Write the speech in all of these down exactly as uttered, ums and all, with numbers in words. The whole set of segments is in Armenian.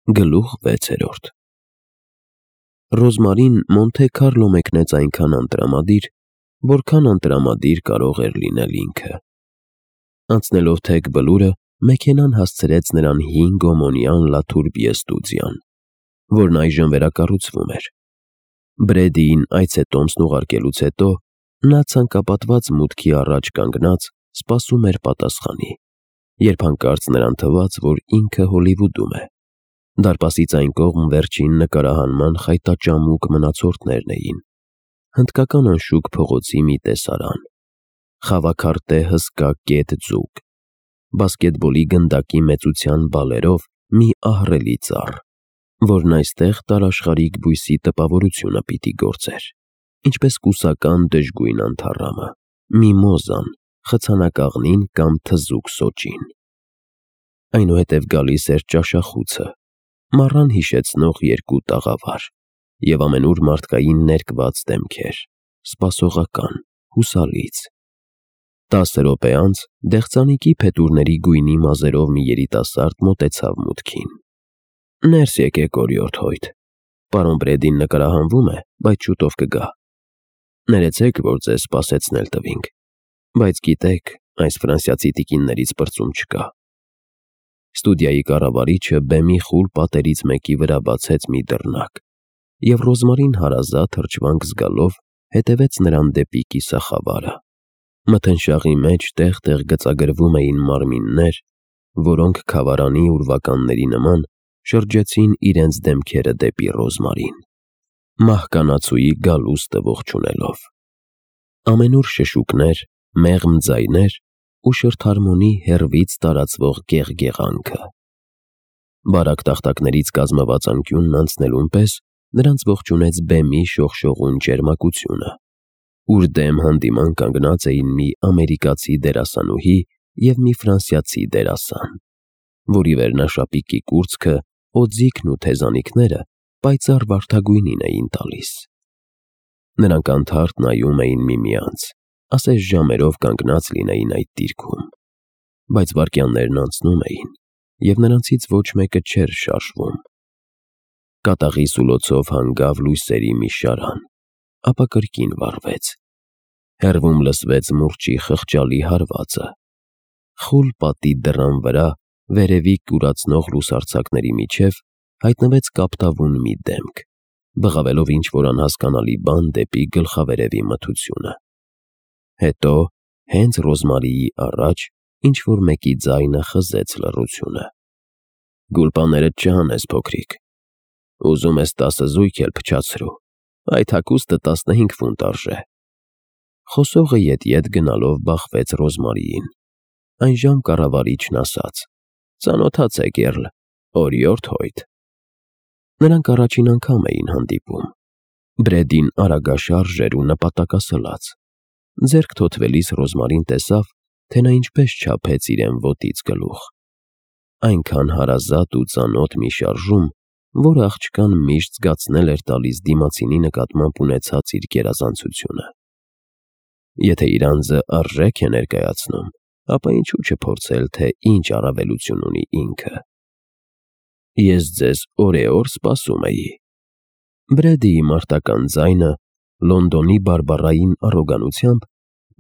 Գլուխ վեցերորդ Ռոզմարին Մոնթե Քարլո մեկնեց այնքան անտրամադիր, որքան անտրամադիր կարող էր լինել ինքը։ Անցնելով թեք բլուրը, մեքենան հասցրեց նրան հին գոմոնյան Լաթուր Պիեստուձյան, որն այժմ վերակառուցվում էր։ Բրեդիին այց է տոմսն ուղարկելուց հետո նա ցանկապատված մուտքի առաջ կանգնած սպասում էր պատասխանի, երբ հանկարծ նրան թվաց, որ ինքը Հոլիվուդում է։ Դարպասից այն կողմ վերջին նկարահանման խայտաճամուկ մնացորդներն էին, հնդկական անշուք փողոցի մի տեսարան, խավաքարտե հսկա կետ ձուկ, բասկետբոլի գնդակի մեծության բալերով մի ահռելի ծառ, որն այստեղ տարաշխարհիկ բույսի տպավորությունը պիտի գործեր, ինչպես կուսական դժգույն անթառամը, միմոզան, խցանակաղնին կամ թզուկ սոճին։ Այնուհետև գալիս էր ճաշախուցը, մառան հիշեցնող երկու տաղավար և ամենուր մարդկային ներկված դեմքեր, սպասողական, հուսալից։ Տասը րոպե անց դեղձանիկի փետուրների գույնի մազերով մի երիտասարդ մոտեցավ մուտքին։ Ներս եկեք, օրիորդ Հոյթ, պարոն Բրեդին նկարահանվում է, բայց շուտով կգա։ Ներեցեք, որ ձեզ սպասեցնել տվինք, բայց գիտեք, այս ֆրանսիացի տիկիններից պրծում չկա։ Ստուդիայի կառավարիչը բեմի խուլ պատերից մեկի վրա բացեց մի դռնակ, և Ռոզմարին հարազատ հրճվանք զգալով հետևեց նրան դեպի կիսախավարը։ Մթնշաղի մեջ տեղ-տեղ գծագրվում էին մարմիններ, որոնք քավարանի ուրվականների նման շրջեցին իրենց դեմքերը դեպի Ռոզմարին, մահկանացուի գալուստը ողջունելով։ Ամենուր շշուկներ, մեղմ ձայներ ու շրթարմոնի հեռվից տարածվող գեղգեղանքը։ Բարակ տախտակներից կազմված անկյունն անցնելուն պես նրանց ողջունեց բեմի շողշողուն ճերմակությունը, ուր դեմ հանդիման կանգնած էին մի ամերիկացի դերասանուհի և մի ֆրանսիացի դերասան, որի վերնաշապիկի կուրծքը, օձիքն ու թեզանիքները պայծառ վարդագույնին էին տալիս։ Նրանք անթարթ նայում էին միմյանց, ասես ժամերով կանգնած լինեին այդ դիրքում, բայց վայրկյաններն անցնում էին, և նրանցից ոչ մեկը չէր շարժվում։ Կատաղի սուլոցով հանգավ լույսերի մի շարան, ապա կրկին վառվեց։ Հեռվում լսվեց մուրճի խղճալի հարվածը։ Խուլ պատի դռան վրա, վերևի կուրացնող լուսարձակների միջև հայտնվեց կապտավուն մի դեմք, բղավելով ինչ-որ անհասկանալի բան դեպի գլխավերևի մթությունը։ Հետո, հենց Ռոզմարիի առաջ, ինչ-որ մեկի ձայնը խզեց լռությունը։ «Գուլպաներդ չհանես, փոքրիկ, ուզում ես տասը զույգ էլ փչացրու, այդ հագուստը տասնհինգ ֆունտ արժե»։ Խոսողը ետ-ետ գնալով բախվեց Ռոզմարիին։ Այնժամ կառավարիչն ասաց. «Ծանոթացեք, Էռլ, օրիորդ Հոյթ»։ Նրանք առաջին անգամ էին հանդիպում։ Բրեդին արագաշարժ էր ու նպատակասլաց։ Ձեռք թոթվելիս Ռոզմարին տեսավ, թե նա ինչպես չափեց իրեն ոտից գլուխ։ Այնքան հարազատ ու ծանոթ մի շարժում, որ աղջկան միշտ զգացնել էր տալիս դիմացինի նկատմամբ ունեցած իր գերազանցությունը։ Եթե իր անձը արժեք է ներկայացնում, ապա ինչու չփորձել, թե ինչ առավելություն ունի ինքը։ «Ես ձեզ օրեօր սպասում էի»։ Բրեդիի մարտական ձայնը Լոնդոնի բարբառային առոգանությամբ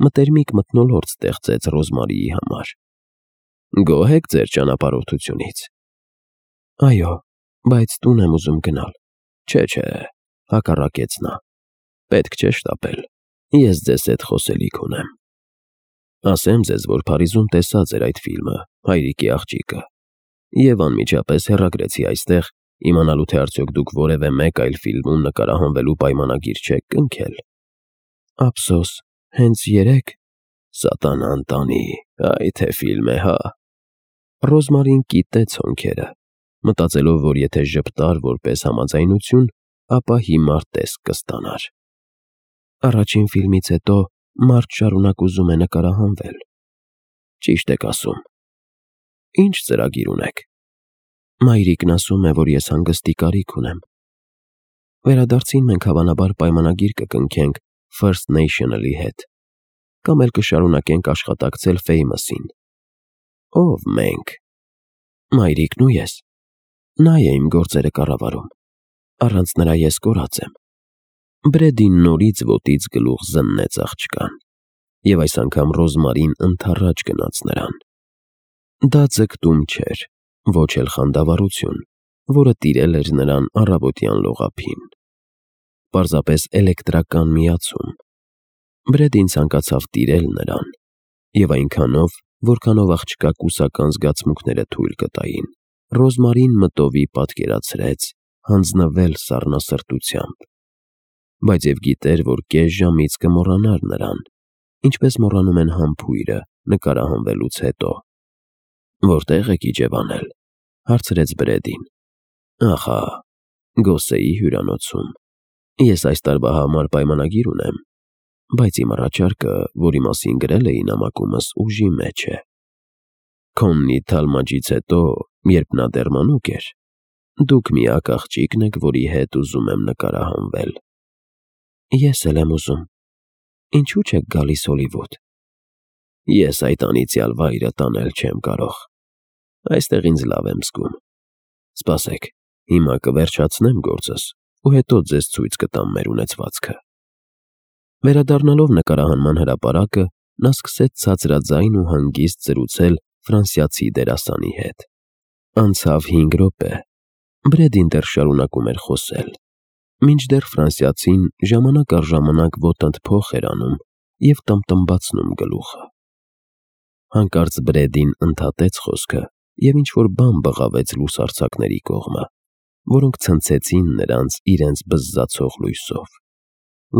մտերմիկ մթնոլորտ ստեղծեց Ռոզմարիի համար։ «Գոհ եք ձեր ճանապարհորդությունից»։ «Այո, բայց տուն եմ ուզում գնալ»։ «Չէ, հակառակեց նա, պետք չէ շտապել, ես ձեզ հետ խոսելիք ունեմ։ Ասեմ ձեզ, որ Փարիզում տեսա ձեր այդ ֆիլմը «Հայրիկի աղջիկը» և անմիջապես հեռագրեցի այստեղ, իմանալու թե արդյոք դուք որևէ մեկ այլ ֆիլմում նկարահանվելու պայմանագիր չեք կնքել։ Ափսոս, հենց երեկ… Սատանան տանի, այ թե ֆիլմ է, հա։ Ռոզմարին կիտեց հոնքերը, մտածելով, որ եթե ժպտար որպես համաձայնություն, ապա հիմար տեսք կստանար։ Առաջին ֆիլմից հետո մարդ շարունակ ուզում է նկարահանվել։ Ճիշտ եք ասում։ Ինչ ծրագիր ունեք։ Մայրիկն ասում է, որ ես հանգստի կարիք ունեմ։ Վերադարձին մենք հավանաբար պայմանագիր կկնքենք First National-ի հետ, կամ էլ կշարունակենք աշխատակցել Famous-ին։ Ո՞վ մենք։ Մայրիկն ու ես։ Նա է իմ գործերը կառավարում, առանց նրա ես կորած եմ։ Բրեդին նորից ոտից գլուխ զննեց աղջկան, և այս անգամ Ռոզմարին ընդառաջ գնաց նրան։ Դա ձգտում չէր, ոչ էլ խանդավառություն, որը տիրել էր նրան առավոտյան լողափին։ Պարզապես էլեկտրական միացում։ Բրեդին ցանկացավ տիրել նրան, և այնքանով, որքանով աղջկա կուսական զգացմունքները թույլ կտային, Ռոզմարին մտովի պատկերացրեց հանձնվել սառնասրտությամբ, բայց և գիտեր, որ կես ժամից կմոռանար նրան, ինչպես մոռանում են համբույրը նկարահանվելուց հետո։ «Որտե՞ղ եք իջևանել», հարցրեց Բրեդին։ «Ախա, Գոսեի հյուրանոցում։ Ես այս տարվա համար պայմանագիր ունեմ, բայց իմ առաջարկը, որի մասին գրել էի նամակումս, ուժի մեջ է։ Քոննի թալմաջից հետո, երբ նա դեռ մանուկ էր, դուք միակ աղջիկն եք, որի հետ ուզում եմ նկարահանվել»։ «Ես էլ եմ ուզում։ Ինչու՞ չեք գալիս Հոլիվուդ»։ «Ես այդ անիծյալ վայրը տանել չեմ կարող։ Այստեղ ինձ լավ եմ զգում։ Սպասեք, հիմա կվերջացնեմ գործս ու հետո ձեզ ցույց կտամ մեր ունեցվածքը»։ Վերադառնալով նկարահանման հրապարակը, նա սկսեց ցածրաձայն ու հանգիստ զրուցել ֆրանսիացի դերասանի հետ։ Անցավ հինգ րոպե։ Բրեդին դեռ շարունակում էր խոսել, մինչդեռ ֆրանսիացին ժամանակ առ ժամանակ ոտնդ փոխ էր անում և տմբտմբացնում գլուխը։ Հանկարծ Բրեդին ընդհատեց խոսքը և ինչ-որ բան բղավեց լուսարձակների կողմը, որոնք ցնցեցին նրանց իրենց բզզացող լույսով։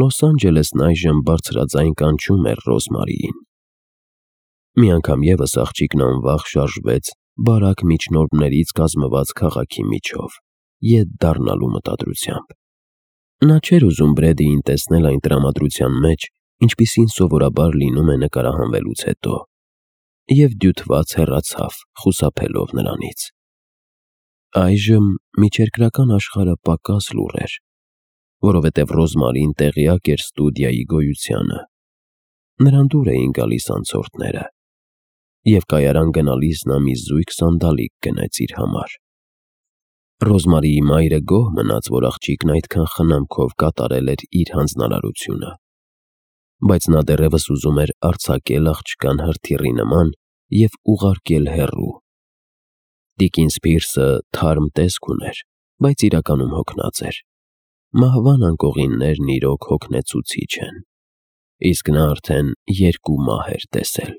Լոս Անջելեսն այժմ բարձրաձայն կանչում էր Ռոզմարիին։ Մի անգամ ևս աղջիկն անվախ շարժվեց բարակ միջնորդներից կազմված քաղաքի միջով, ետ դառնալու մտադրությամբ։ Նա չէր ուզում Բրեդիին տեսնել այն տրամադրության մեջ, ինչպիսին սովորաբար լինում է նկարահանվելուց հետո, և դյութված հեռացավ, խուսափելով նրանից։ Այժմ միջերկրական աշխարհը պակաս լուռ էր, որովհետև Ռոզմարին տեղյակ էր ստուդիայի գոյությանը։ Նրան դուր էին գալիս անցորդները, և կայարան գնալիս նա մի զույգ սանդալիկ գնեց իր համար։ Ռոզմարիի մայրը գոհ մնաց, որ աղջիկն այդքան խնամքով կատարել էր իր հանձնարարությունը, բայց նա դեռևս ուզում էր արձակել աղջկան հրթիռի նման և ուղարկել հեռու։ Տիկին Սփիրսը թարմ տեսք ուներ, բայց իրականում հոգնած էր։ Մահվան անկողիններն իրոք հոգնեցուցիչ են, իսկ նա արդեն երկու մահ էր տեսել։